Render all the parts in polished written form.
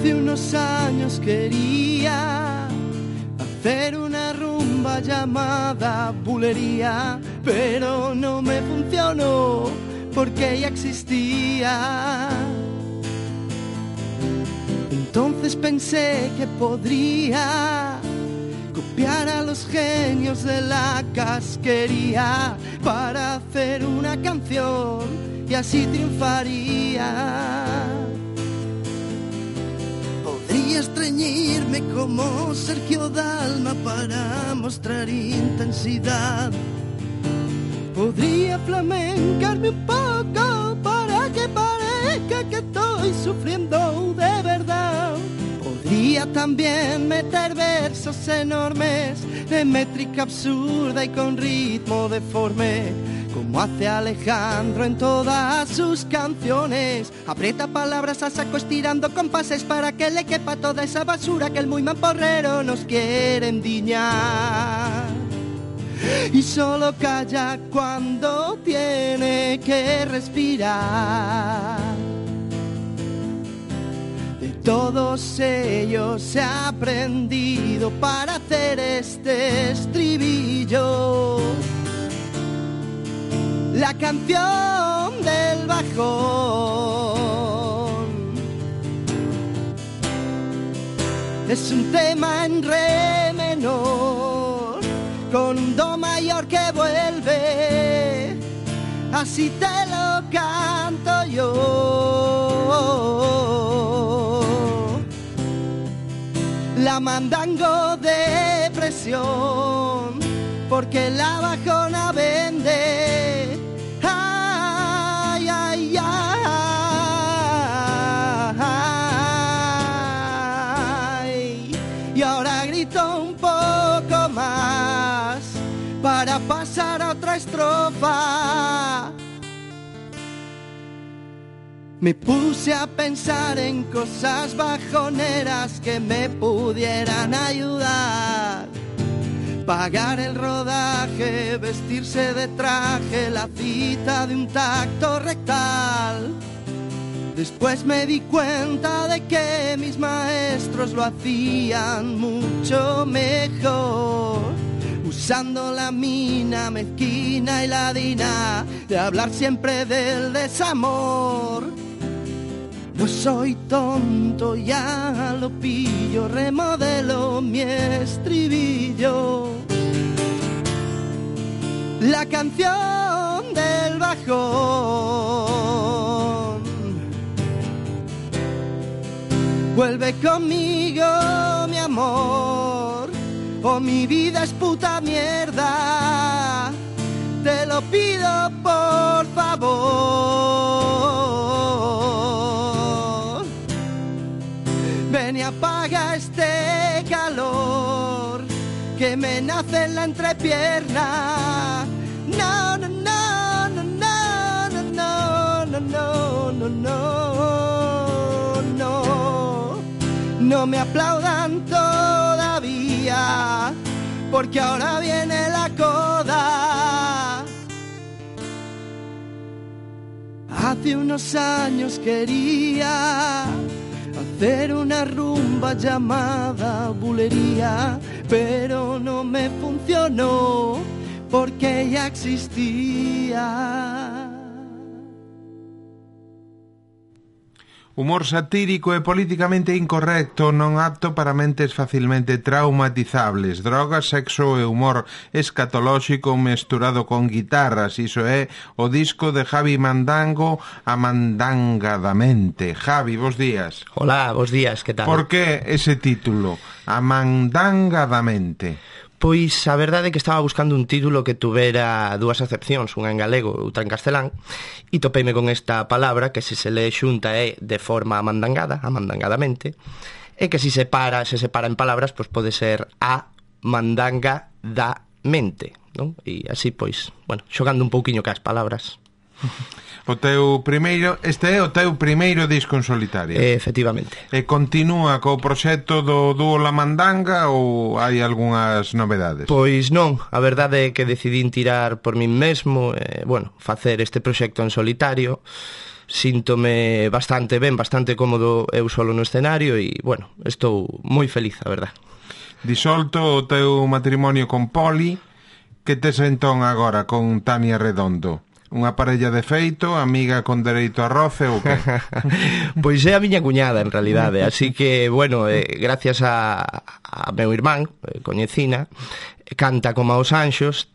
Hace unos años quería hacer una rumba llamada bulería, pero no me funcionó porque ya existía. Entonces pensé que podría copiar a los genios de la casquería para hacer una canción y así triunfaría. Podría estreñirme como Sergio Dalma para mostrar intensidad. Podría flamencarme un poco para que parezca que estoy sufriendo de verdad. Podría también meter versos enormes de métrica absurda y con ritmo deforme, como hace Alejandro en todas sus canciones. Aprieta palabras a saco estirando compases para que le quepa toda esa basura que el muy mamporrero nos quiere endiñar. Y solo calla cuando tiene que respirar. De todos ellos he aprendido para hacer este estribillo. La canción del bajón es un tema en re menor con un do mayor que vuelve, así te lo canto yo. La mandango de presión, porque la bajona vende. Ay, ay, ay. Y ahora grito un poco más para pasar a otra estrofa. Me puse a pensar en cosas bajoneras que me pudieran ayudar. Pagar el rodaje, vestirse de traje, la cita de un tacto rectal. Después me di cuenta de que mis maestros lo hacían mucho mejor, usando la mina mezquina y ladina de hablar siempre del desamor. No soy tonto, ya lo pillo, remodelo mi estribillo. La canción del bajón. Vuelve conmigo, mi amor, o mi vida es puta mierda. Te lo pido por favor. Ven y apaga este calor que me nace en la entrepierna. No, no, no, no, no, no, no, no, no, no, no. No me aplaudan todavía, porque ahora viene la coda. Hace unos años quería hacer una rumba llamada bulería, pero no me funcionó porque ya existía. Humor satírico e políticamente incorrecto, non apto para mentes facilmente traumatizables. Drogas, sexo e humor escatolóxico mesturado con guitarras. Iso é o disco de Javi Mandango, Amandangadamente. Javi, bos días. Hola, bos días, que tal? Por que ese título, Amandangadamente? Pois a verdade é que estaba buscando un título que tuvera dúas acepcións, unha en galego e outra en castelán, e topeime con esta palabra que se lee xunta é de forma amandangada, amandangadamente, e que se separa en palabras, pois pode ser a mandangadamente, non? E así, pois, bueno, xogando un pouquiño cas palabras. O teu primeiro, este é o teu primeiro disco en solitario. Efectivamente. E continúa co proxecto do dúo La Mandanga ou hai algunhas novedades? Pois non, a verdade é que decidín tirar por min mesmo, bueno, facer este proxecto en solitario. síntome bastante ben, bastante cómodo eu solo no escenario e, bueno, estou moi feliz, a verdad. Disolto o teu matrimonio con Poli, que tes entón agora con Tania Redondo? Unha parella de feito, amiga con dereito a roce ou que? Pois é a miña cuñada, en realidade. Así que, bueno, gracias a meu irmán, coñecina, canta como aos anxos,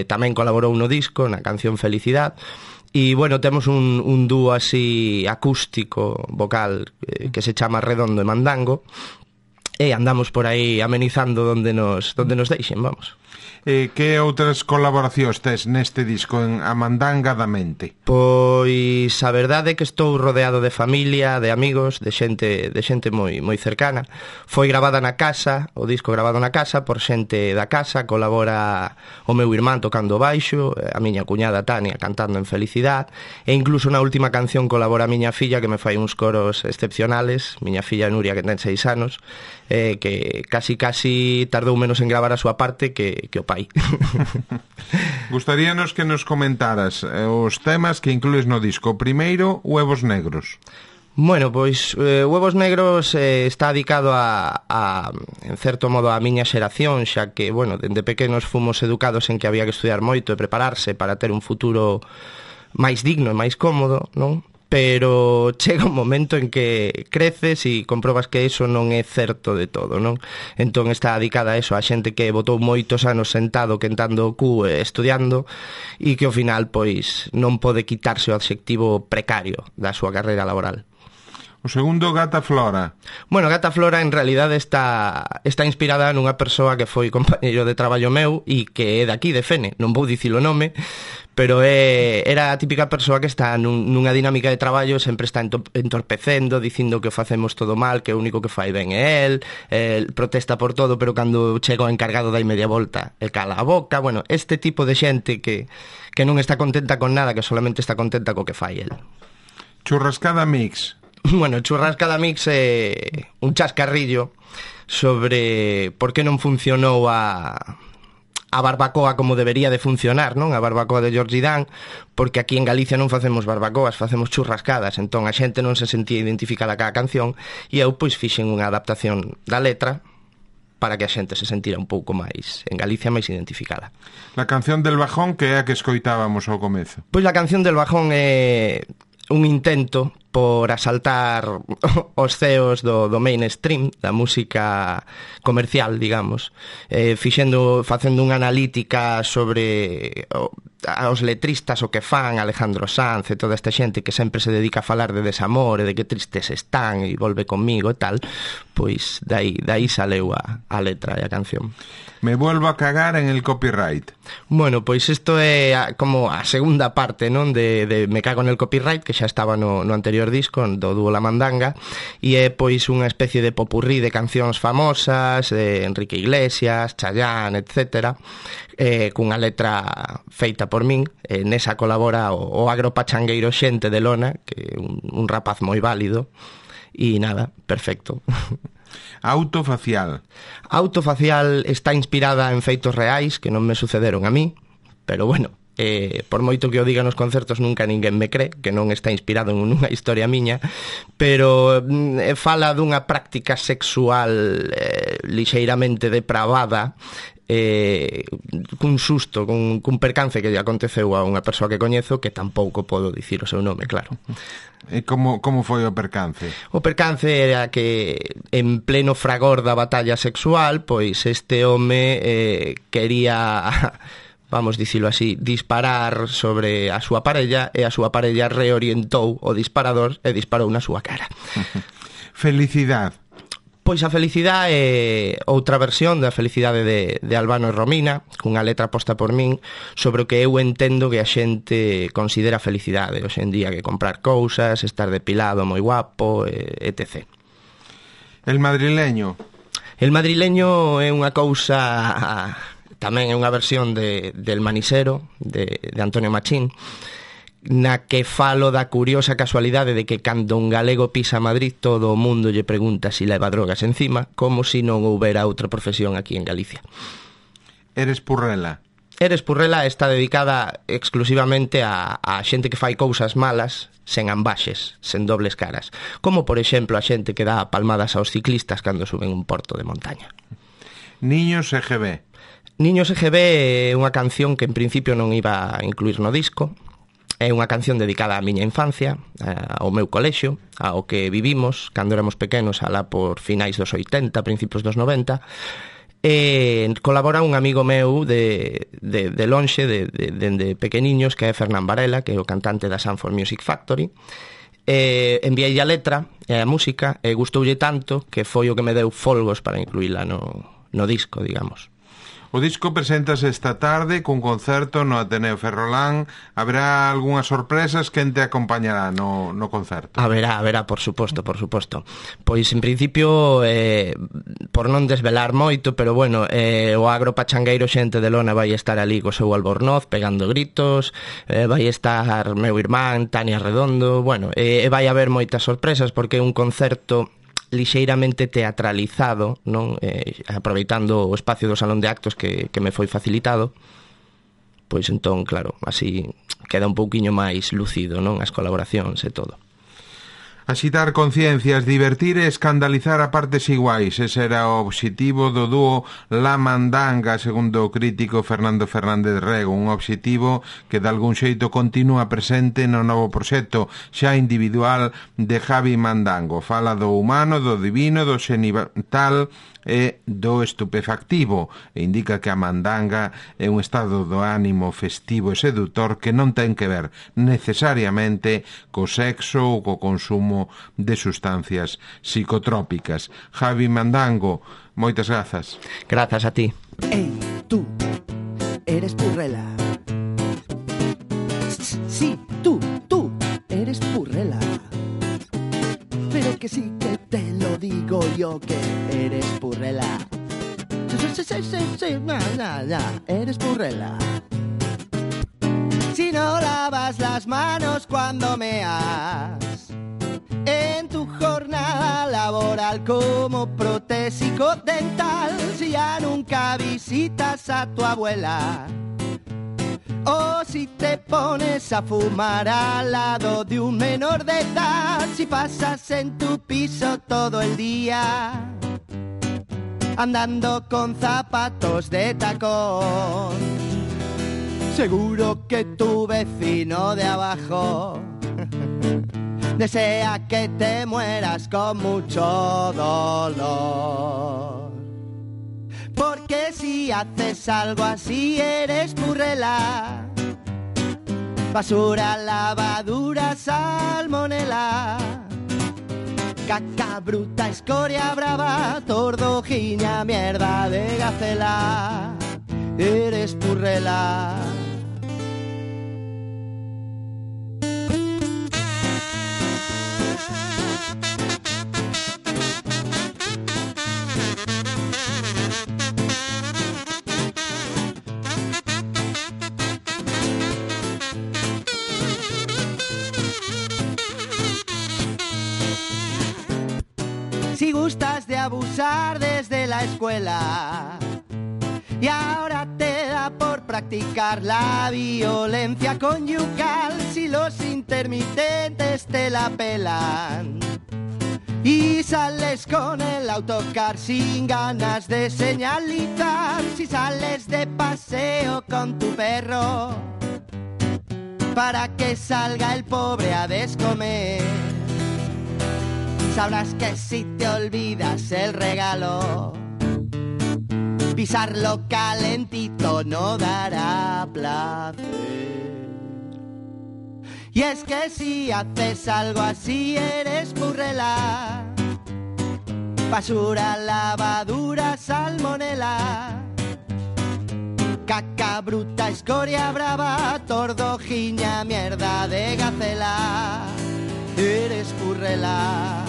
tamén colaborou no disco, na canción Felicidad. E, bueno, temos un dúo así acústico, vocal, que se chama Redondo e Mandango, e andamos por aí amenizando donde nos deixen, vamos. Que outras colaboracións tes neste disco en Amandangadamente? Pois a verdade é que estou rodeado de familia, de amigos, de xente moi cercana. Foi gravada na casa, o disco gravado na casa por xente da casa, colabora o meu irmán tocando baixo, a miña cuñada Tania cantando en Felicidad, e incluso na última canción colabora a miña filla que me fai uns coros excepcionales, miña filla Nuria que ten 6 anos, que casi tardou menos en gravar a súa parte que o pai. Gustaríanos que nos comentaras os temas que inclues no disco. Primeiro, Huevos Negros. Bueno, pois Huevos Negros está dedicado en certo modo, a miña xeración, xa que, bueno, dende pequenos fomos educados en que había que estudiar moito e prepararse para ter un futuro máis digno e máis cómodo, non? Pero chega un momento en que creces e comprobas que iso non é certo de todo, non? Entón está dedicada a eso, a xente que botou moitos anos sentado, quentando o cu, estudiando, e que ao final, pois, non pode quitarse o adxectivo precario da súa carreira laboral. O segundo, Gata Flora. Bueno, Gata Flora en realidade está inspirada nunha persoa que foi compañeiro de traballo meu e que é daqui, de Fene, non vou dicir o nome, pero era a típica persoa que está nunha dinámica de traballo, sempre está entorpecendo, dicindo que o facemos todo mal, que o único que fai ben é el protesta por todo, pero cando chega o encargado dai media volta e cala a boca. Bueno, este tipo de xente que non está contenta con nada, que solamente está contenta co que fai el. Churrascada Mix. Bueno, Churrascada Mix é un chascarrillo sobre por que non funcionou a barbacoa como debería de funcionar, non? A barbacoa de George Dan, porque aquí en Galicia non facemos barbacoas, facemos churrascadas, entón a xente non se sentía identificada ca canción e eu pois fixen unha adaptación da letra para que a xente se sentira un pouco máis, en Galicia, máis identificada. La canción del bajón, que é a que escoitábamos ao comezo. Pois a canción del bajón é un intento por asaltar os ceos do mainstream, da música comercial, digamos, facendo unha analítica sobre os letristas, o que fan, Alejandro Sanz e toda esta xente que sempre se dedica a falar de desamor e de que tristes están e volve conmigo e tal, pois dai saleu a letra e a canción. Me vuelvo a cagar en el copyright. Bueno, pois isto é como a segunda parte, non, de Me cago en el copyright, que xa estaba no anterior disco, do dúo La Mandanga, e é pois unha especie de popurrí de cancións famosas, de Enrique Iglesias, Chayanne, etcétera, cunha letra feita por min. Nesa colabora o agropachangueiro Xente de Lona, que é un rapaz moi válido, e nada, perfecto. Autofacial. Autofacial está inspirada en feitos reais que non me sucederon a mí, pero bueno, por moito que o diga nos concertos nunca ninguén me cree que non está inspirado en unha historia miña, pero fala dunha práctica sexual lixeiramente depravada, cun susto, cun percance que lle aconteceu a unha persoa que coñezo, que tampouco podo dicir o seu nome, claro. E como foi o percance? O percance era que en pleno fragor da batalla sexual, pois este home quería, vamos dicilo así, disparar sobre a súa parella, e a súa parella reorientou o disparador e disparou na súa cara. Felicidad. Pois a Felicidad é outra versión da Felicidade de Albano e Romina, cunha letra posta por min sobre o que eu entendo que a xente considera felicidade hoxe en día, que comprar cousas, estar depilado moi guapo, etc. El madrileño. El madrileño é unha cousa, tamén é unha versión del Manisero, de Antonio Machín, na que falo da curiosa casualidade de que cando un galego pisa Madrid todo o mundo lle pregunta si leva drogas encima, como si non houbera outra profesión aquí en Galicia. Eres purrela. Eres Purrela está dedicada exclusivamente a xente que fai cousas malas sen ambaxes, sen dobles caras, como por exemplo a xente que dá palmadas aos ciclistas cando suben un porto de montaña. Niños EGB. Niños EGB é unha canción que en principio non iba a incluir no disco. É unha canción dedicada á miña infancia, ao meu colexio, ao que vivimos cando éramos pequenos, alá por finais dos 80, principios dos 90. Colabora un amigo meu de lonxe, de pequeniños, que é Fernán Varela, que é o cantante da Sanford Music Factory. Enviei a letra e a música e gustoulle tanto que foi o que me deu folgos para incluíla no disco, digamos. O disco preséntase esta tarde cun concerto no Ateneo Ferrolán. Haberá algunhas sorpresas? Quen te acompañará no concerto? Haberá, por suposto. Pois, en principio, por non desvelar moito, pero bueno, o agro pachangueiro Xente de Lona vai estar ali co seu albornoz, pegando gritos, vai estar meu irmán, Tania Redondo, bueno, vai haber moitas sorpresas porque é un concerto lixeiramente teatralizado, non? Aproveitando o espacio do salón de actos que me foi facilitado, pois entón, claro, así queda un pouquiño máis lúcido, non? As colaboracións e todo. Axitar conciencias, divertir e escandalizar a partes iguais. Ese era o obxectivo do dúo La Mandanga, segundo o crítico Fernando Fernández Rego, un obxectivo que de algún xeito continúa presente no novo proxecto xa individual de Javi Mandango. Fala do humano, do divino, do xenital e do estupefactivo, e indica que a mandanga é un estado do ánimo festivo e sedutor que non ten que ver necesariamente co sexo ou co consumo de sustancias psicotrópicas. Javi Mandango, moitas grazas. Grazas a ti. Ei, tú, eres Purrela. Sí, tú, eres Purrela. Pero que sí que te lo digo yo que eres Purrela. Sí, eres Purrela. Si no lavas las manos cuando meas, en tu jornada laboral como protésico dental, si ya nunca visitas a tu abuela, o si te pones a fumar al lado de un menor de edad, si pasas en tu piso todo el día andando con zapatos de tacón, seguro que tu vecino de abajo desea que te mueras con mucho dolor. Porque si haces algo así eres Purrela. Basura, lavadura, salmonela, caca bruta, escoria brava, tordojiña, mierda de gacela. Eres Purrela. Si gustas de abusar desde la escuela y ahora te da por practicar la violencia conyugal, si los intermitentes te la pelan y sales con el autocar sin ganas de señalizar, si sales de paseo con tu perro para que salga el pobre a descomer, sabrás que si te olvidas el regalo, pisarlo calentito no dará placer. Y es que si haces algo así eres Purrela. Basura, lavadura, salmonela, caca bruta, escoria brava, tordojiña, mierda de gacela. Eres Purrela.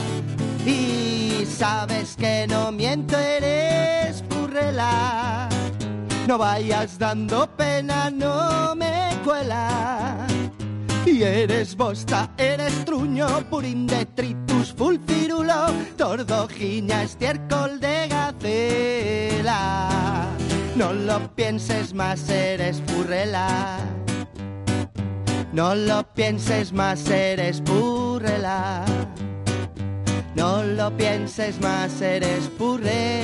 Y sabes que no miento, eres Purrela. No vayas dando pena, no me cuela. Y eres bosta, eres truño, purín detritus, fulcirulo, tordojiña, estiércol de gacela. No lo pienses más, eres purrela. No lo pienses más, eres purrela. No lo pienses más, eres purrela.